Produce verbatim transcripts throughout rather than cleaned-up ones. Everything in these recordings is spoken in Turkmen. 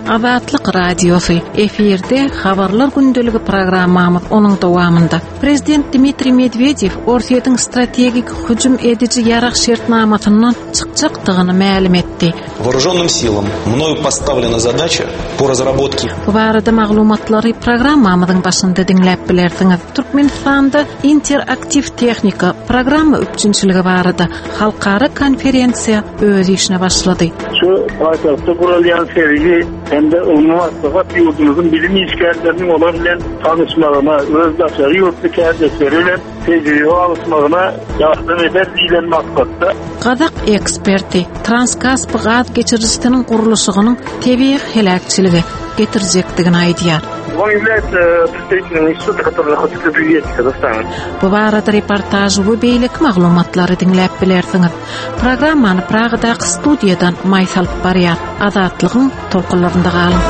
Azatlyk Radiosy efirde Habarlar gündeligi programmamyz onuň dowamynda. Prezident Dmitriý Medwedew Orsýetiň strategik hüjüm ediji ýarag şertnamasyndan çykjakdygyny mälim etdi. Вооруженным силам мною поставлена задача по разработке Bu barada maglumatlary programmamyzyň başynda diňläp bilersiňiz. Türkmenistanda interaktiw tehnika programma üpjünçiligi barada halkara konferensiýa öz işine başlady. Şu paýtagtda guralýan sergi hem-de ylmy maslahat ýurdumyzyň bilim işgärleriniň olar bilen tanyşmagyna, öz daşary ýurtly kärdeşleri bilen tejribe alyşmagyna ýardam eder diýlen maksatda Gazak eksperti Transkasp gaz geçirijisiniň gurluşygynyň tebigy heläkçilige getirjekdigini aýdýar. Он является представителем института, который находится в Привете, Казахстана. Bu barada reportaž we beýleki maglumatlary diňläp bilersiňiz. Programmany Pragadaky studiýadan Maýsa alyp barýar. Azatlygyň tolkunlarynda galyň.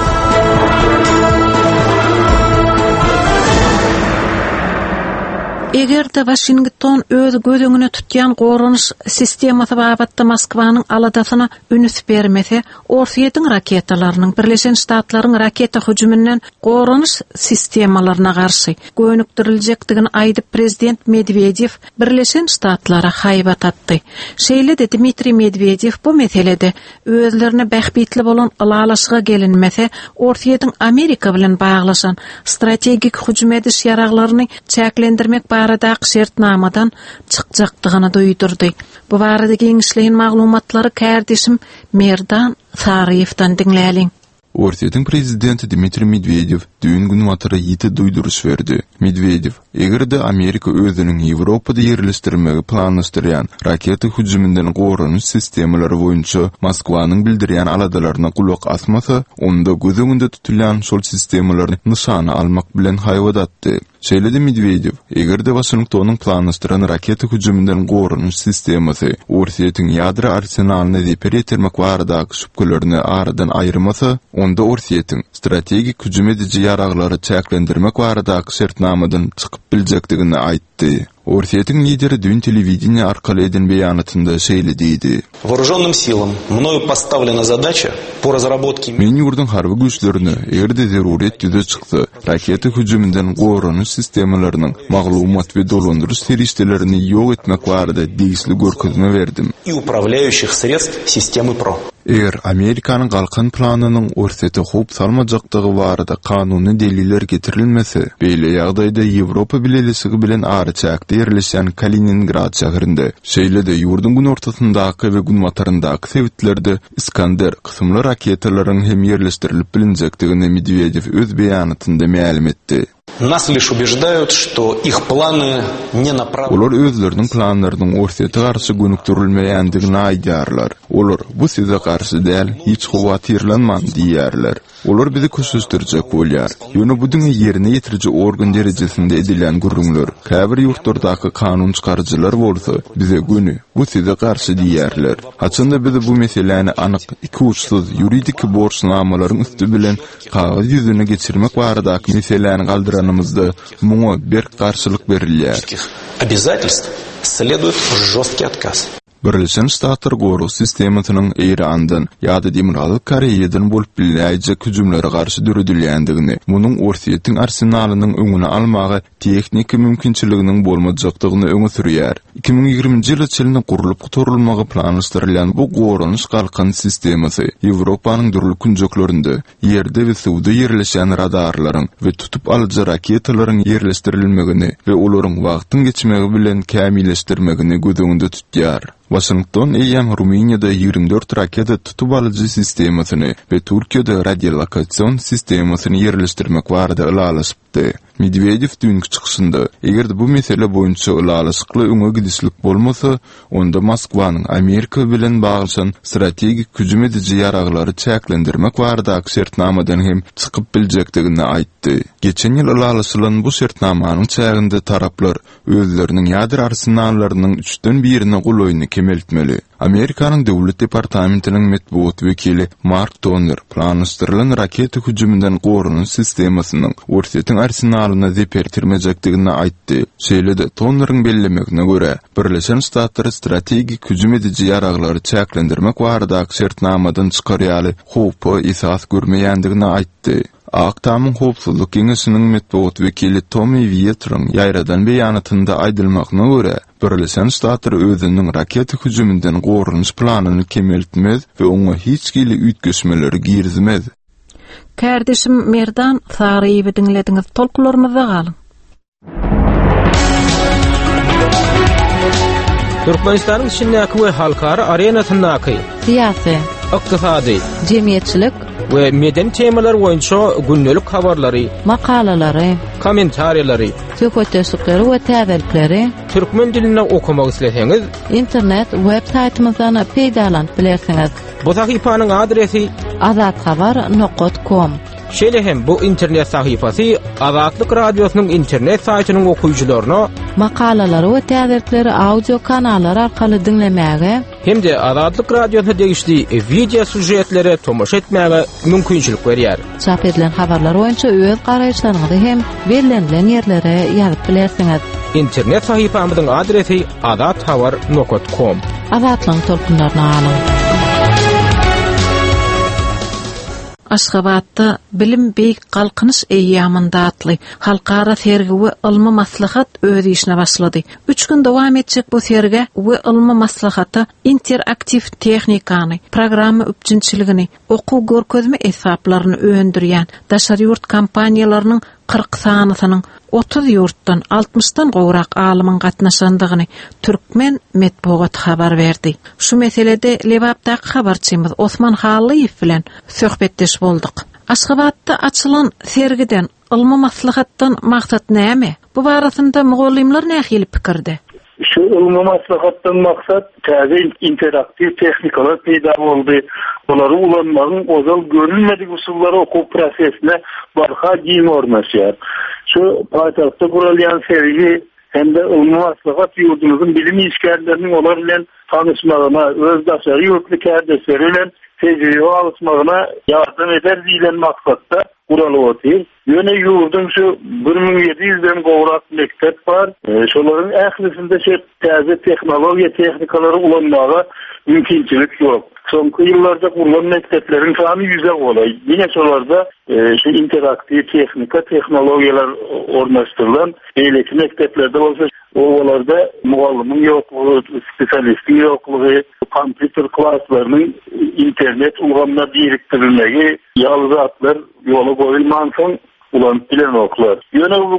Eger-de Washington öz göz öňüne tutýan goranyş sistemasy babatda Moskwanyň aladasyna üns bermese, Orsýetiň raketalarynyň Birleşen Ştatlaryň raketa hüjüminden goranyş sistemalaryna garşy gönükdiriljekdigini aýdyp prezident Medwedew Birleşen Ştatlara haýbat atdy. Şeýle-de Dmitriý Medwedew bu meselede özlerine bähbitli bolan ylalaşyga gelinmese, Orsýetiň Amerika bilen baglaşan strategik hüjüm ediş ýaraglaryny çäklendirmek baradaky şertnamadan çykjakdygyny duýdurdy. Bu barada giňişleýin maglumatlary kärdeşim Merdan Saryýewden diňläliň. Orsýetiň prezidenti Dmitriý Medwedew düýn günbatara ýiti duýduryş berdi. Medwedew, eger-de Amerika özüniň Ýewropada ýerleşdirmegi planlaşdyrýan raketa hüjüminden goranyş sistemalary boýunça Moskwanyň bildirýän aladalaryna gulak asmasa, onda göz öňünde tutulýan şol sistemalary nyşana almak bilen haýbat atdy. Şeýle-de Medwedew, eger-de Washingtonyň planlaşdyran raketa hüjüminden goranyş sistemasy Orsýetiň ýadro arsenalyna zeper ýetirmek baradaky şübhelerini aradan aýyrmasa, onda Orsýetiň strategik hüjüm ediji ýaraglary çäklendirmek baradaky şertnamadan çykyp biljekdigini aýtdy. Orsýetiň lideri düýn telewideniýe arkaly eden beýanatynda şeýle diýdi. Вооруженным силам мною поставлена задача по разработке Men ýurduň harby güýçlerine eger-de zeruriyet ýüze çyksa, raketa hüjüminden goranyş sistemalarynyň maglumat we dolandyryş serişdelerini ýok etmek barada degişli görkezme berdim. и управляющих средств системы ПРО. Eger Amerikanyň galkan planynyň Orsýete howp salmajakdygy barada kanuny deliller getirilmese, beýle ýagdaýda Ýewropa Bileleşigi bilen araçäkde ýerleşen Kaliningrad şäherinde, şeýle-de ýurduň günortasyndaky we günbataryndaky sebitlerde Iskander kysymly raketalaryň hem ýerleşdirilip bilinjekdigini Medwedew öz beýanatynda mälim etdi. Нас лишь убеждают, что их планы не направлены. Olar özleriniň planlarynyň Orsýete garşy gönükdirilmeýändigini aýdýarlar. Olar bu size garşy däl, hiç howatyrlanmaň diýýärler. Olar bizi köşeşdirjek bolýar. Ýöne bu diňe ýerine ýetiriji organ derejesinde edilýän gürrüňler. Käbir ýurtlardaky kanun çykaryjylar bolsa bize göni bu size garşy diýýärler. Haçanda biz bu meseläni anyk iki uçsuz ýuridik borçnamalaryň üsti bilen kagyz ýüzüne geçirmek baradaky meseläni galdyranymyzda muňa berk garşylyk berilýär. Обязательств следует жесткий отказ. Birleşen Ştatlar gorag sistemasynyň Eýrandan ýa-da Demirgazyk Koreýadan bolup biläýjek hüjümlere garşy döredilýändigini, munuň Orsýetiň arsenalynyň öňüni almaga tehniki mümkinçiliginiň bolmajakdygyny öňe sürýär. iki müň ýigriminji ýyla çenli gurlup gutarylmagy planlaşdyrylýan bu goranyş galkan sistemasy Ýewropanyň dürli künjeklerinde ýerde we suwda ýerleşen radarlaryň we tutup alyjy raketalaryň ýerleşdirilmegini we olaryň wagtyň geçmegi bilen kämilleşdirmegini göz öňünde tutýar. Washington eýýäm Rumyniýada ýigrimi dört raketa tutup alyjy sistemasyny we Türkiýede radiolokasyon sistemasyny ýerleşdirmek barada ylalaşypdy. Medwedew düýnki çykyşynda, eger bu mesele boýunça ylalaşykly öňe gidişlik bolmasa, onda Moskwanyň Amerika bilen baglaşan strategik hüjüm ediji ýaraglary çäklendirmek baradaky şertnamadan hem çykyp biljekdigini aýtdy. Geçen ýyl ylalaşylan bu şertnamanyň çäginde taraplar özleriniň ýadro arsenallarynyň üçden birine golaýyny kemeltmeli. Amerikanyň Döwlet departamentiniň metbugat wekili Mark Toner planlaşdyrylan raketa hüjüminden goranyş sistemasynyň Orsýetiň arsenalyna zeper ýetirmejekdigini aýtdy. Şeýle-de Toneriň bellemegine görä, Birleşen Ştatlar strategik hüjüm ediji ýaraglary çäklendirmek baradaky şertnamadan çykar ýaly howpa esas görmeýändigini aýtdy. Ak Tamyň Howpsuzlyk Geňeşiniň metbugat wekili Tommy Wietriň ýaýradan beýanatynda aýdylmagyna görä, Birleşen Ştatlar özüniň raketa hüjüminden goranyş planyny kemeltmez we oňa hiç hili üýtgeşmeleri girizmez. Kärdeşim Merdan Saryýewi diňlediňiz. Tolkunlarymyzda galyň. Türkmenistanyň içindäki we halkara arenasyndaky syýasy, ykdysady, jemgyýetçilik we medeni temalar boýunça gündelik habarlary, makalalary, kommentariýalary, söhbetdeşlikleri we täzelikleri türkmen dilinde okamak isleseňiz, internet web saýtymyzdan peýdalanyp bilersiňiz. Bu sahypanyň adresi azathabar nokta com. Şeýle hem bu internet sahypasy Azatlyk Radiosynyň internet saýtynyň okyjylaryna makalalary we täzelikleri audio kanallar arkaly diňlemäge hem-de Azatlyk Radiosyna degişli video süžetlere tomaşa etmäge mümkinçilik berýär. Çap edilen habarlar boýunça öz garaýyşlaryňyzy hem bellenilen ýerlere ýazyp bilersiňiz. Internet sahypamyzyň adresi azathabar nokta com. Azatlygyň tolkunlaryny alyň. Aşgabatda Bilim Beýik Galkynyş eýýamynda atly halkara sergi we ylmy maslahat öz işine başlady. Üç gün dowam etjek bu sergi we ylmy maslahata interaktiw tehnikany, programma üpjünçiligini, okuw görkezme esbaplaryny öndürýän daşary ýurt kompaniýalarynyň kyrk sanysynyň otuz ýurtdan altmyşdan gowrak alymyň gatnaşandygyny Türkmen metbugat habar berdi. Şu meselede Lebapdaky habarçymyz Osman Hallyýew bilen söhbetdeş bolduk. Aşgabatda açylan sergiden, ylmy maslahatdan maksat näme? Bu barasynda mugallymlar nähili pikirde? Şu ylmy maslahatdan maksat täze interaktiw tehnikalar peýda boldy. Olary ulanmagyň ozal görülmedik usullary okuw prosesine barha giň ornaşýar. Şu paýtagtda guralýan sergi hem-de ylmy maslahat ýurdumyzyň bilim işgärleriniň olar bilen tanyşmagyna, öz daşary ýurtly kärdeşleri bilen tejribe alyşmagyna ýardam eder diýlen maksatda guralyp otyr. Ýöne ýurdum şu bir müň ýedi ýüzden gowrak mekdep bar. E, şolaryň ählisinde şu täze tehnologiýa tehnikalary ulanmaga mümkinçilik ýok. Soňky ýyllarda gurulan mekdepleriň sany ýüze golaý. Ýene şolarda, e, şu interaktiw tehnika tehnologiýalar ornaşdyrylan, beýleki mekdeplerde bolsa obalarda mugallymyň ýoklugy, spesialistiň ýoklugy, kompýuter klaslarynyň internet ulgamyna birikdirilmegi ýaly zatlar ýola goýulmansoň ulanyp bilenoklar. Ýöne bu,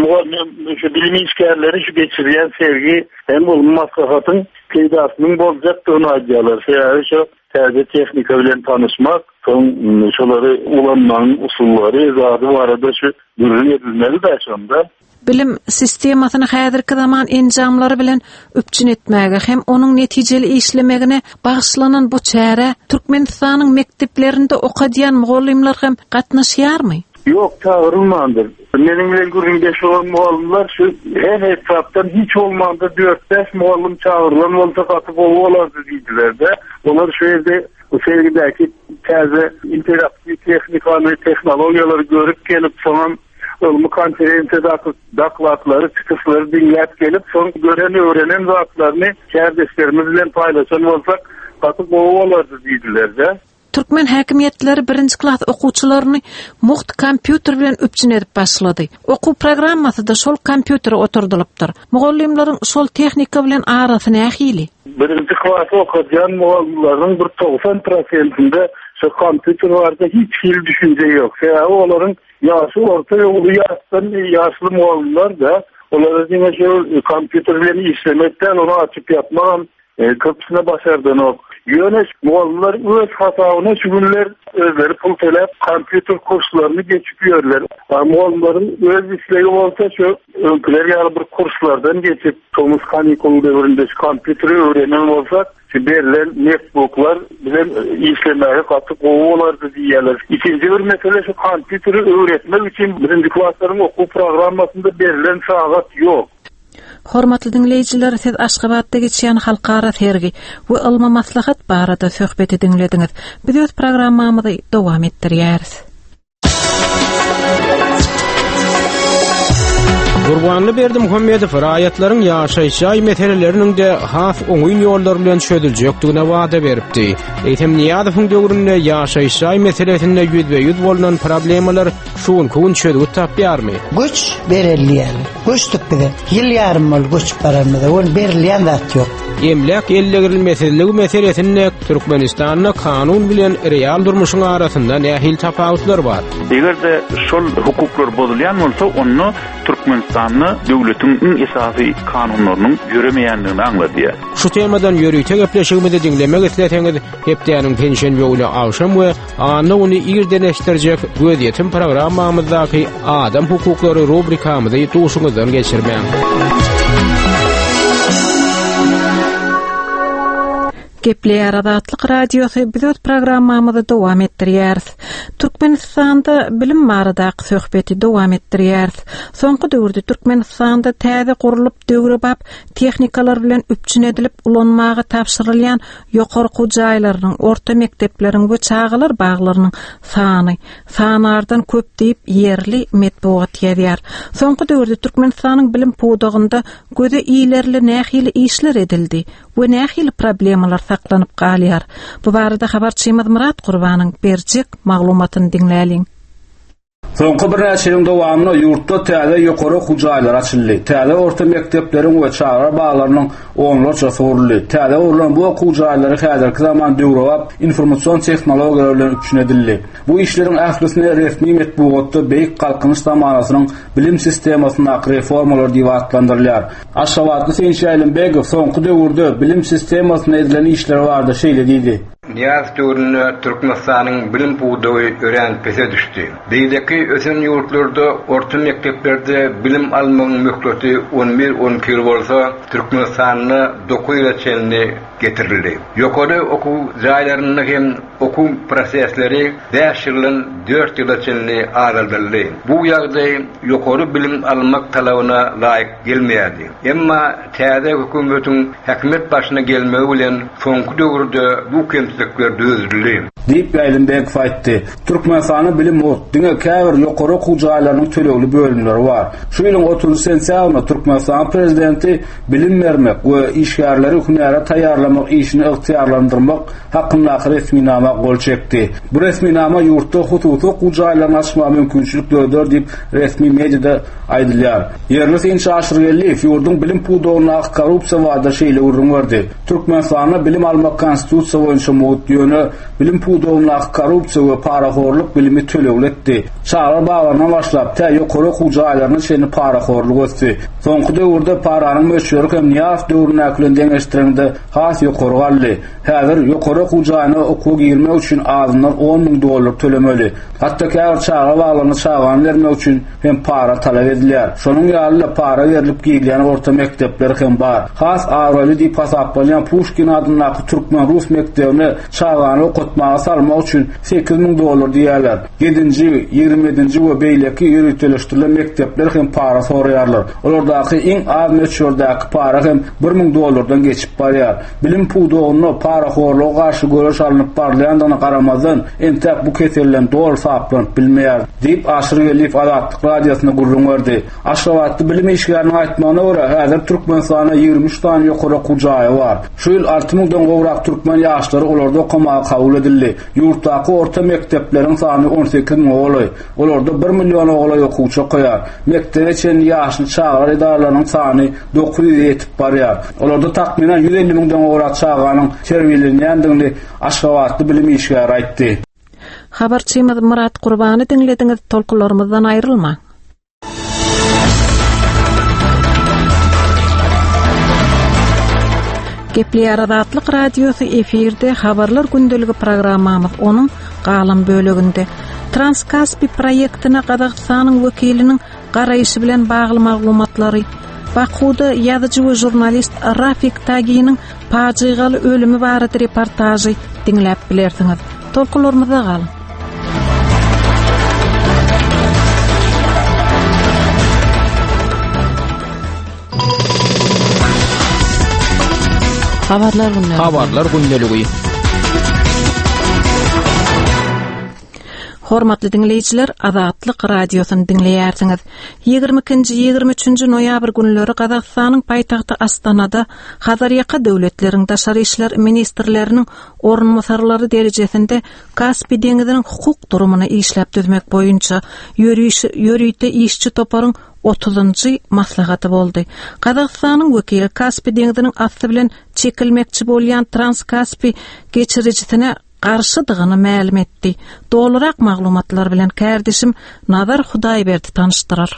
mugallym, şu bilim işgärleri şu geçirýän sergi hem ylmy maslahatyň peýdasynyň boljakdygyny aýdýarlar. Sebäbi şu täze tehnika bilen tanyşmak, soň şolary ulanmagyň usullary zady barada şu gürrüň edilmeli de şonda. Bilim sistemasyny häzirki zaman enjamlary bilen üpjün etmäge hem onuň netijeli işlemegine bagyşlanan bu çäre Türkmenistanyň mekdeplerinde okadýan mugallymlar hem gatnaşýarmy? Ýok, çagyrylmandyr. Meniň bilen gürrüňdeş bolan mugallymlar şu her etrapdan hiç bolmanda dört bäş mugallym çagyrylan bolsa gaty gowy bolardy diýdiler-de. Olar şu ýerde bu sergidäki täze interaktiw tehnikany, tehnologiýalary görüp gelip, soňam ylmy konferensiýadaky doklatlary, çykyşlary diňläp gelip, soň gören, öwrenen zatlaryny kärdeşlerimiz bilen paýlaşan bolsak gaty gowy bolardy diýdiler-de. Türkmen häkimiýetleri birinji klas okuwçylaryny mugt kompýuter bilen üpjün edip başlady. Okuw programmasy da şol kompýutere oturdylypdyr. Mugallymlaryň şol tehnika bilen arasy nähili? Birinji klas okadýan mugallymlaryň bir togsan prosentinde şu kompýuter barada hiç hili düşünje ýok. Sebäbi olaryň ýaşy orta we uly ýaşdan ýaşly mugallymlar da olara diňe şu kompýuter bilen işlemekden ony açyp ýapmagam, e, köpüsine başardanok. Ýöne mugallymlar öz hasabyna şu günler özleri pul töläp kompýuter kurslaryny geçip ýörler. Mugallymlaryň öz islegi bolsa şu öňküler ýaly bir kurslardan geçip tomus kanikul döwründe şu kompýuteri öwrenen bolsa şu berlen netbooklar bilen işlemäge gaty gowy bolardy diýýärler. Ikinji bir mesele şu kompýuteri öwretmek üçin birinji klaslaryň okuw programmasynda berlen sagat ýok. Hormatly diňleýjiler, siz Aşgabatda geçýän halkara sergi we ylmy maslahat barada söhbeti diňlediňiz. Biz öz programmamyzy dowam etdirýäris. Gurbanly Berdimuhamedow raýatlaryň ýaşaýyş jaý meseleleriniň de has oňyn ýollar bilen çözüljekdigine wada beripdi. Eýsem Niýazowyň döwründe ýaşaýyş jaý meselesinde ýüzbe-ýüz bolunan problemalar şu gün çözgüt tapýarmy? Göç berilýär. Göçdük bize. Ýyl ýarym bol göçüp baranymyza. Ol berilýän zat ýok. Emläk ellegirilmesizligi meselesinde Türkmenistanda kanun bilen real durmuşyň arasynda nähili tapawutlar bar? Eger-de şol hukuklar bozulýan bolsa, onda Türkmenistanda döwletiň iň esasy kanunlarynyň ýöremeýändigini aňladýar. Şu temadan ýörite gepleşigimizi diňlemek isleseňiz, hepdäniň penşenbe güni agşam we anna güni irden eşitdirjek gözýetim programmamyzdaky adam hukuklary rubrikamyzy duşuňyzdan geçirmäň. Gepleýär Azatlyk Radiosy biz öz programmamyzy dowam etdirýäris. Türkmenistanda bilim baradaky söhbeti dowam etdirýäris. Soňky döwürde Türkmenistanda täze gurlup döwrebap tehnikalar bilen üpjün edilip ulanmaga tabşyrylýan ýokary okuw jaýlarynyň, orta mekdepleriň we çagalar baglarynyň sany sanardan köp diýip ýerli metbugat ýazýar. Soňky döwürde Türkmenistanyň bilim pudagynda göze ilerli nähili işler edildi we nähili problemalar saklanyp galýar? Bu barada habarçymyz Murat Gurbanyň berjek maglumatyny diňläliň. Soňky birnäçe ýylyň dowamynda ýurtda täze ýokary okuw jaýlary açyldy. Täze orta mekdepleriň we çagalar baglarynyň onlarçasy guruldy. Täze gurlan bu okuw jaýlary häzirki zaman döwrebap informasion tehnologiýalar bilen üpjün edildi. Bu işleriň ählisini resmi metbugatda Beýik Galkynyş zamanasynyň bilim sistemasyndaky reformalar diýip atlandyrylýar. Aşgabatly Synçy Ýaýlymbegow soňky döwürde bilim sistemasynda edilen işler barada şeýle diýdi. Niýazow döwründe Türkmenistanyň bilim pudagy örän pese düşdi. Beýleki ösen ýurtlarda orta mekdeplerde bilim almagyň möhleti on bir on iki ýyl bolsa, Türkmenistanda dokuz ýyla çenli getirildi. Ýokary okuw jaýlarynda hem okuw prosesleri bäş ýyldan dört ýyla çenli azaldyldy. Bu ýagdaý ýokary bilim almak talabyna laýyk gelmeýärdi. Emma täze hökümetiň hökümet başyna gelmegi bilen soňky döwürde bu kemçilikler düzedildi. Diýip Ýaýlymbegow aýtdy. Türkmenistanda bilim mugt, diňe käbir ýokary okuw jaýlarynyň tölegli bölümleri bar. Şu ýylyň otuzynjy sentýabrynda Türkmenistan prezidenti bilim bermek we işgärleri hünäre taýýarlamak işini ygtyýarlandyrmak hakyndaky resminama gol çekdi. Bu resminama ýurtda hususy okuw jaýlaryny açmaga mümkinçilik döreder diýip resmi mediada aýdylýar. Ýerli synçy Aşyr Geldiýew ýurduň bilim pudagyndaky korrupsiýa barada şeýle gürrüň berdi. Türkmenistanda bilim almak konstitusiýa boýunça mugt, ýöne bilim pudagyndaky korrupsiýa we parahorluk bilimi tölegli etdi. Çagalar baglaryna başlap, tä ýokary okuw jaýlaryna çenli parahorluk ösdi. Soňky döwürde paranyň möçberi hem Niýazow döwründäki bilen deňeşdirilende has ýokary galdy. Häzir ýokary okuw jaýyna okuwa girmek üçin azyndan on müň dollar tölemeli. Hatda käbir çaga baglaryna çagany bermek üçin hem para talap edilýär. Şonuň ýaly para berlip girilýän orta mekdepler hem bar. Has abraýly diýip hasaplanýan Puşkin adyndaky Türkmen-Rus mekdebine çagany okatmaga salmak üçin sekiz müň dollar diýýärler. Ýedinji, ýigrimi ýedinji we beýleki ýöriteleşdirilen mekdepler hem para soraýarlar. Olardaky iň az möçberdäki para hem bir müň dollardan geçip barýar. Bilim pudagynda parahorluga garşy göreş alnyp barylýandygyna garamazdan, entäk bu keselden doly saplanyp bilmeýär, diýip Aşyr Geldiýew Azatlyk Radiosyna gürrüň berdi. Aşgabatda bilim işgäriniň aýtmagyna görä, häzir Türkmenistanda ýigrimi üç sany ýokary okuw jaýy bar. Şu ýyl alty müňden gowrak türkmen ýaşlary olarda okamaga kabul edildi. Ýurtdaky orta mekdepleriň sany on sekiz müňe golaý. Olarda bir milliona golaý okuwçy okaýar. Mekdebe çenli ýaşly çagalar edaralarynyň sany dokuz ýüze ýetip barýar. Olarda takmynan ýüz elli müňden gowrak çaganyň terbiýelenýändigini Aşgabatly bilim işgäri aýtdy. Habarçymyz Murat Gurbany diňlediňiz, tolkunlarymyzdan aýrylmaň. Gepleýär Azatlyk Radiosy efirde habarlar gündeligi programmamyz onuň galan böleginde Transkaspi proýektine Gazagystanyň wekiliniň garaýşy bilen bagly maglumatlary, Bakuda ýazyjy we žurnalist Rafik Taginiň pajygaly ölümi barada reportažy diňläp bilersiňiz. Tolkunlarymyzda galyň. Habarlar gündeligi. Habarlar gündeligi. Hormatly diňleýjiler, Azatlyk radiosyny diňleýärsiňiz. Ýigrimi ikinji, ýigrimi üçünji noýabr günleri Gazagystanyň paýtagty Astanada Hazarýaka döwletleriň daşary işler ministrleriniň orunbasarlary derejesinde Kaspi deňiziniň hukuk durumyny işläp düzmek boýunça ýörüş, ýörite işçi toparyň otuzynjy maslahaty boldy. Gazagystanyň wekili Kaspi deňiziniň asty bilen çekilmekçi bolýan Transkaspi geçirijisine garşydygyny mälim etdi. Dolurak maglumatlar bilen kärdeşim Nazar Hudaýberdi tanyşdyrar.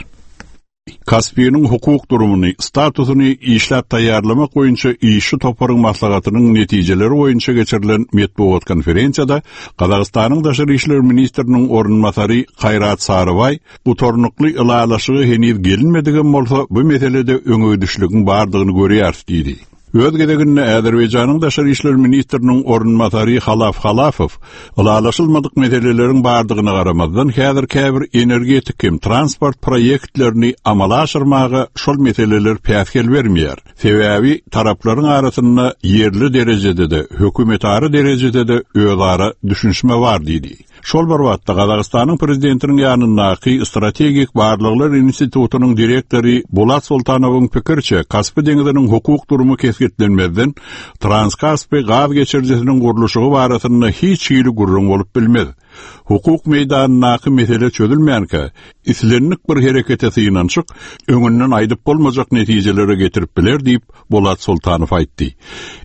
Kaspiniň hukuk durumyny, statusyny işläp taýýarlamak boýunça işçi toparyň maslahatynyň netijeleri boýunça geçirilen metbugat konferensiýada Gazagystanyň daşary işler ministriniň orunbasary Kaýrat Sarybaý gutarnykly ylalaşygy heniz gelinmedigem bolsa bu meselede öňegidişligiň bardygyny görýäris diýdi. Öz gezeginde Azerbaýjanyň daşary işler ministriniň orunbasary Halaf Halafow ylalaşylmadyk meseleleriň bardygyna garamazdan häzir käbir energetik hem transport proýektlerini amala aşyrmaga şol meseleler päsgel bermeýär. Sebäbi taraplaryň arasynda ýerli derejede-de, hökümetara derejede-de özara düşünişme bar diýdi. Şol bir wagtda Gazagystanyň prezidentiniň ýanyndaky Strategik Barlaglar Institutynyň direktory Bulat Sultanowyň pikirçe Kaspi deňiziniň hukuk durumy kesgitlenmezden Transkaspi gaz geçirijisiniň gurluşygy barasynda hiç hili gürrüň bolup bilmez. Hukuk meýdanyndaky mesele çözülmänkä, islendik bir herekete synanyşyk öňünden aýdyp bolmajak netijelere getirip biler diýip Bulat Sultanow aýtdy.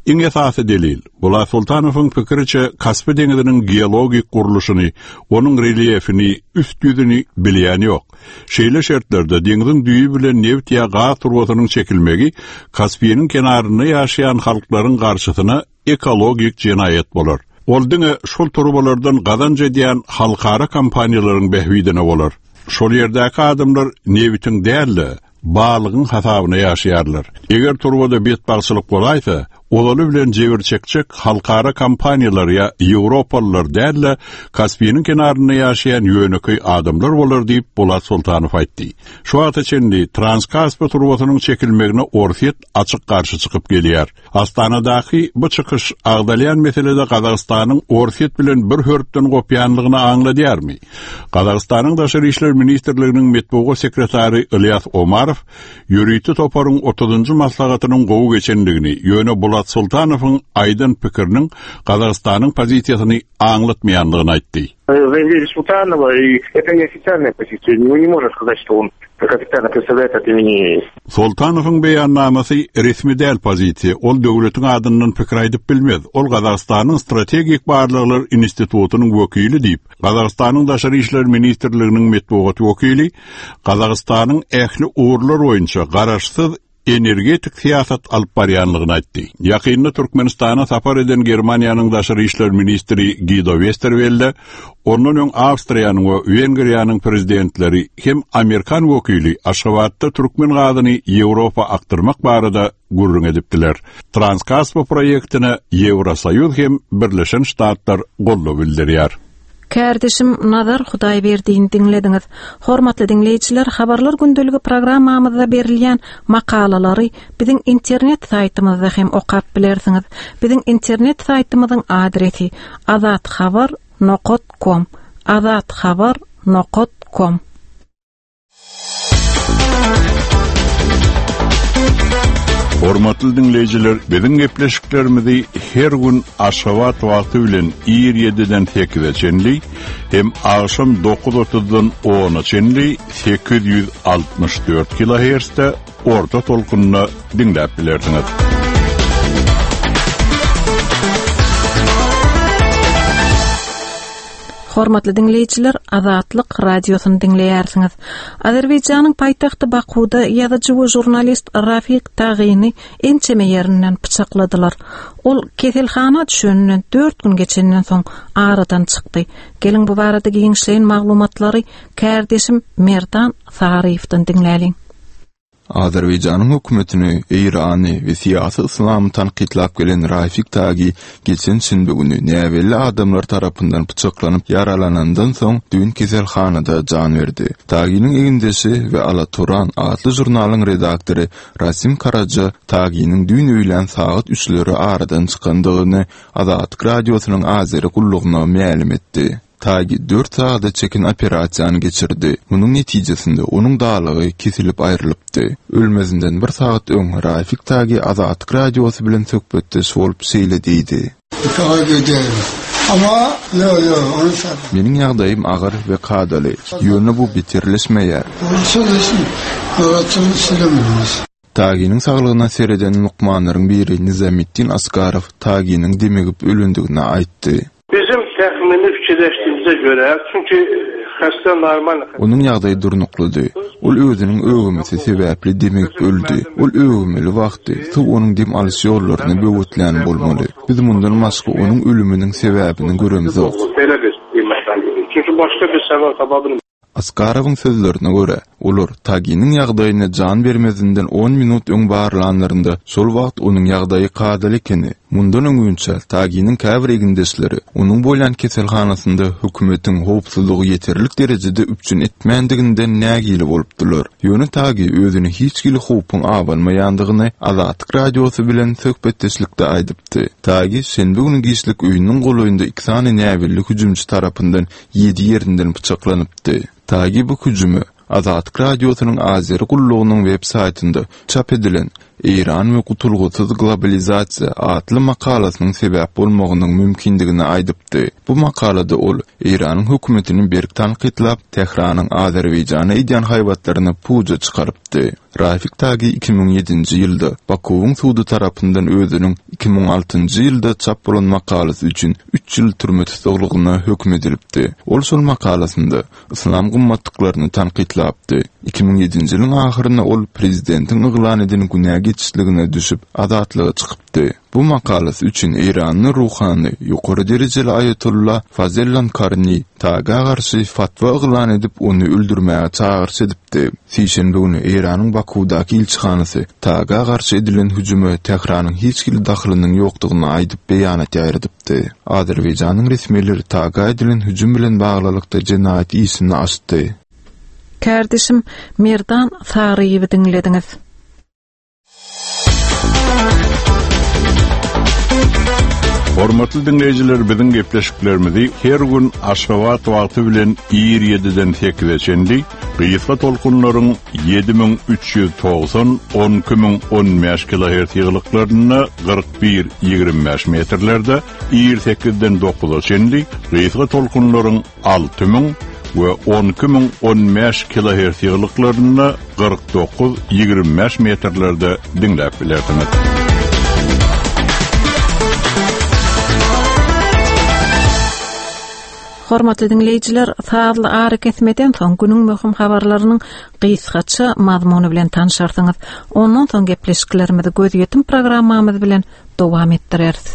Iň esasy delil, Bulat Sultanowyň pikiriçe Kaspi deňiziniň geologik gurluşyny, onuň relýefini, üst ýüzüni bilýän ýok. Şeýle şertlerde deňiziň düýbi bilen neft ýa gaz turbasynyň çekilmegi Kaspiniň kenarynda ýaşaýan halklaryň garşysyna ekologik jenaýat bolar. Ol diňe şol turbalardan gazanç edýän halkara kompaniýalaryň bähbidine bolar. Şol ýerdäki adamlar nebitiň däl-de, balygyň hasabyna ýaşaýarlar. Eger turbada betbagtçylyk bolaýsa, ozaly bilen jebir çekjek halkara kompaniýalar ýa Ýewropalylar däl-de, Kaspiniň kenarynda ýaşaýan ýönekeý adamlar bolar diýip Bulat Sultanow aýtdy. Şu wagta çenli Transkaspi turbasynyň çekilmegine Orsýet açyk garşy çykyp gelýär. Astanadaky bu çykyş agdalýan meselede Gazagystanyň Orsýet bilen bir hörpden gopýanlygyny aňladýarmy? Gazagystanyň Daşary işler ministrliginiň metbugat sekretary Ilyas Omarow ýörite toparyň otuzynjy maslahatynyň gowy geçendigini, ýöne Bulat Sultanowyň aýdan pikiriniň Gazagystanyň pozisiýasyny aňlatmaýandygyny aýtdy. Заявление Султанова, и это не официальная позиция. Мы не можем сказать, что он как официально представляет от имени. Sultanowyň beýannamasy resmi däl pozisiýa. Ol döwletiň adyndan pikir aýdyp bilmez. Ol Gazagystanyň Strategik Barlaglar Institutynyň wekili diýip, Gazagystanyň Daşary işler ministrliginiň metbugat wekili Gazagystanyň ähli ugurlar boýunça garaşsyz energetik syýasat alyp barýanlygyny aýtdy. Ýakynda Türkmenistana sapar eden Germaniýanyň Daşary işler ministri Guido Westerwelle, ondan öň Awstriýanyň we Wengriýanyň prezidentleri hem Amerikan wekili Aşgabatda türkmen gazyny Ýewropa akdyrmak barada gürrüň edipdiler. Transkaspi proýektine Ýewrosoýuz hem Birleşen Ştatlar goldaw bildirýär. Kärdeşim Nazar Hudaýberdiýni diňlediňiz. Hormatly diňleýjiler, Habarlar gündeligi programmamyzda berilýän makalalary biziň internet saýtymyzda hem okap bilersiňiz. Biziň internet saýtymyzyň adresi azathabar nokta com, azathabar nokta com. Hormatly dinleýjiler, biziň gepleşiklerimizi her gün Aşgabat wagty bilen ir ýediden sekize çenli hem agşam dokuz otuzdan ona çenli sekiz ýüz altmyş dört kilohertzde orta tolkunda dinläp bilersiňiz. Hormatly dinleýjiler, Azatlyk radiosyny diňleýärsiňiz. Azerbaýjanyň paýtagty Bakuda ýazyjy we žurnalist Rafiq Tagini ençeme ýerinden pyçakladylar. Ol keselhana düşeninden dört gün geçenden soň aradan çykdy. Geliň bu barada giňişleýin maglumatlary kärdeşim Merdan Saryýewden diňläliň. Azerbaýjanyň hökümetini, Eýrany we syýasy yslamy tankytlap gelen Rafik Tagi geçen şenbe güni näbelli adamlar tarapyndan pyçaklanyp ýaralanandan soň düýn keselhanada jan berdi. Taginiň egindeşi we Alaturan atly žurnalyň redaktory Rasim Karaja Taginiň düýn öýlän sagat üçleri aradan çykandygyny Azatlyk Radiosynyň Azeri gullugyna mälim etdi. Tagi dört sagada çeken operasiýany geçirdi. Munuň netijesinde onuň dalagy kesilip aýrylypdy. Ölmezinden bir sagat öň Rafik Tagi Azatlyk Radiosy bilen söhbetdeş bolup şeýle diýdi. Ama yo yo onu Meniň ýagdaýym agyr we kadaly. Ýöne bu beterleşmeýär. Taginiň saglygyna sereden lukmanlaryň biri Nizametdin Askarow Taginiň demigip ölendigini aýtdy. Bizim təxmini fikirləşdiyimizə görə, çünki xəstə normal Onuň ýagdaýy durnuklydy. Ol özüniň öwümesi sebäpli demigip öldi. Ol öwümeli wagty suw onuň dem alyş ýollaryny böwetlän bolmaly. Biz mundan başga onuň ölüminiň sebäbini göremzok. Belə bir qiymətləndirir. Çünki başqa bir səbəb tapa bilmirik. Askarowyň sözlerine görä, olar Taginiň ýagdaýyna jan bermezinden on minut öň barlanlarynda şol wagt onuň ýagdaýy kadaly ekeni. Mundan öňünçä Taginiň käbir egindeşleri onuň bolýan keselhanasynda hökümetiň howpsuzlygy ýeterlik derejede üpjün etmändiginden nägile bolupdylar. Ýöne Tagi özüni hiç hili howpuň abanmaýandygyny Azatlyk Radiosy bilen söhbetdeşlikde aýdypdy. Tagi şenbe güni giçlik öýüniň golaýynda iki sany näbelli hüjümçi tarapyndan ýedi ýerinden pyçaklanypdy. Tagi bu hüjümi Azatlyk Radiosynyň Azeri gullugynyň web saýtynda çap edilen Eýran we gutulgysyz globalizasiýa atly makalasynyň sebäp bolmagynyň mümkindigini aýdypdy. Bu makalada ol Eýranyň hökümetini berk tankytlap, Tähranyň Azerbaýjana edýän haýbatlaryny puja çykarypdy. Rafik Tagi iki müň ýedinji ýylda Bakuwyň sudy tarapyndan özüniň iki müň altynjy ýylda çap bolan makalasy üçin üç ýyl türme tussaglygyna höküm edilipdi. Ol şol makalasynda yslam gymmatlyklaryny tankytlapdy. Iki müň ýedinji ýylyň ahyrynda ol prezidentiň yglan eden günä geçişligine düşüp azatlyga çykypdy. Bu makalasy üçin Eýranly ruhany ýokary derejeli Aýatolla Fazellan Karni Taga garşy fatwa yglan edip ony öldürmäge çagyryş edipdi. Sişenbe güni Eýranyň Bakuwdaky ilçihanasy Taga garşy edilen hüjüme Tähranyň hiç hili dahylynyň ýokdugyny aýdyp beýanat ýaýradypdy. Azerbaýjanyň resmileri Taga edilen hüjüm bilen baglylykda jenaýat işini açdy. Kardeşim Merdan Saryýewi diňlediňiz. Hormatly dinleýjiler, biziň gepleşiklerimizi her gün Aşgabat wagty bilen ir ýediden sekize çenli gysga tolkunlaryň ýedi müň üç ýüz togsan on iki müň on bäş kilohertz ýygylyklarynda kyrk bir ýigrimi bäş metrlerde ir sekizden dokuza çenli gysga tolkunlaryň alty müň we on iki müň on bäş kilohertz ýygylyklarynda kyrk dokuz ýigrimi bäş metrlerde diňläp bilersiňiz. Hormatly dinleýjiler, sazly ary kesmeden soň günüň möhüm habarlarynyň gysgaça mazmuny bilen tanşarsyňyz. Ondan soň gepleşiklerimizi gözýetim programmamyz bilen dowam etdireris.